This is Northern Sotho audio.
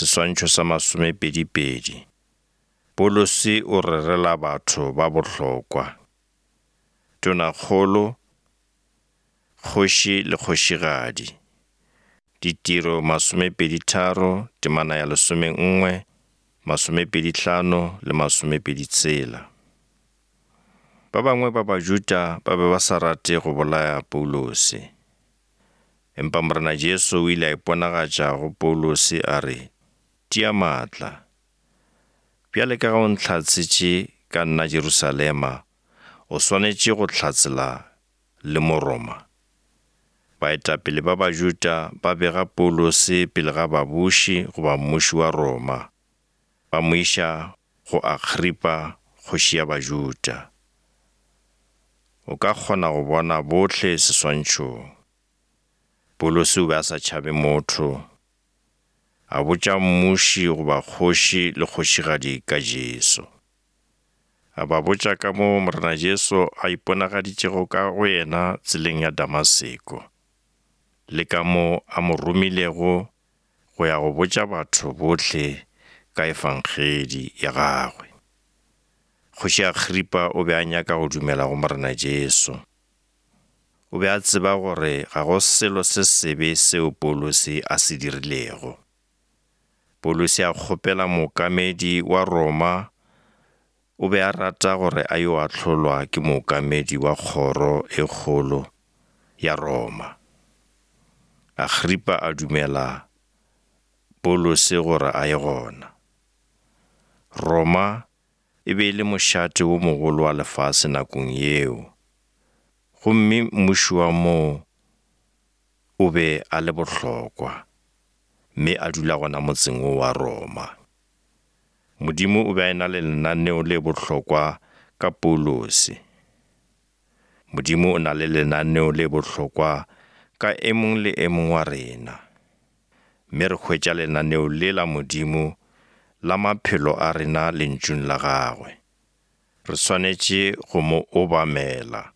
Seswantšho sa masomepedipedi. Paulose o rerela batho ba bohlokwa. Tonakgolo, kgoši le kgošigadi. Ditiro masomepeditharo, temana ya lesomenngwe, masomepedihlano le masomepeditshela. Ba bangwe ba Bajuda ba be ba sa rate go bolaya Paulose. Empa Morena Jesu o ile a iponagatša go Paulose a re, Tia maatla. Bjale ka ge o ntlhatsetše ka nna Jerusalema, o swanetše go hlatsela le mo Roma. Baetapele ba Bajuda ba bega Paulose pele ga babuši goba mmuši wa Roma, ba mo iša go Agripa kgoši ya Bajuda. O ka kgona go bona bohle seswantšhong. Paulose o be a sa tšhabe motho. A botša mmuši goba kgoši le kgošigadi ka Jesu. A ba botša ka moo Morena Jesu a iponagaditšego ka go yena tseleng ya Damaseko, le ka moo a mo romilego go ya go botša batho bohle ka Efangedi ya gagwe. Kgoši Agripa o be a nyaka go dumela go Morena Jesu. O be a tseba gore ga go selo se sebe seo Paulose a se dirilego. Paulose a kgopela mookamedi wa Roma, o be a rata gore a yo ahlolwa ke mookamedi wa kgoro e kgolo ya Roma. Agripa a dumela Paulose gore a ye gona. Roma e be e le mošate wo mogolo wa lefase nakong yeo, gomme mmuši wa moo o be a le bohlokwa, mme a dula gona motseng wo wa Roma. Modimo o be a e-na le lenaneo le bohlokwa ka Paulose. Modimo o na le lenaneo le bohlokwa ka e mong le e mong wa rena. Mme re hwetša lenaneo le la Modimo la maphelo a rena Lentšung la Gagwe. Re swanetše go mo obamela.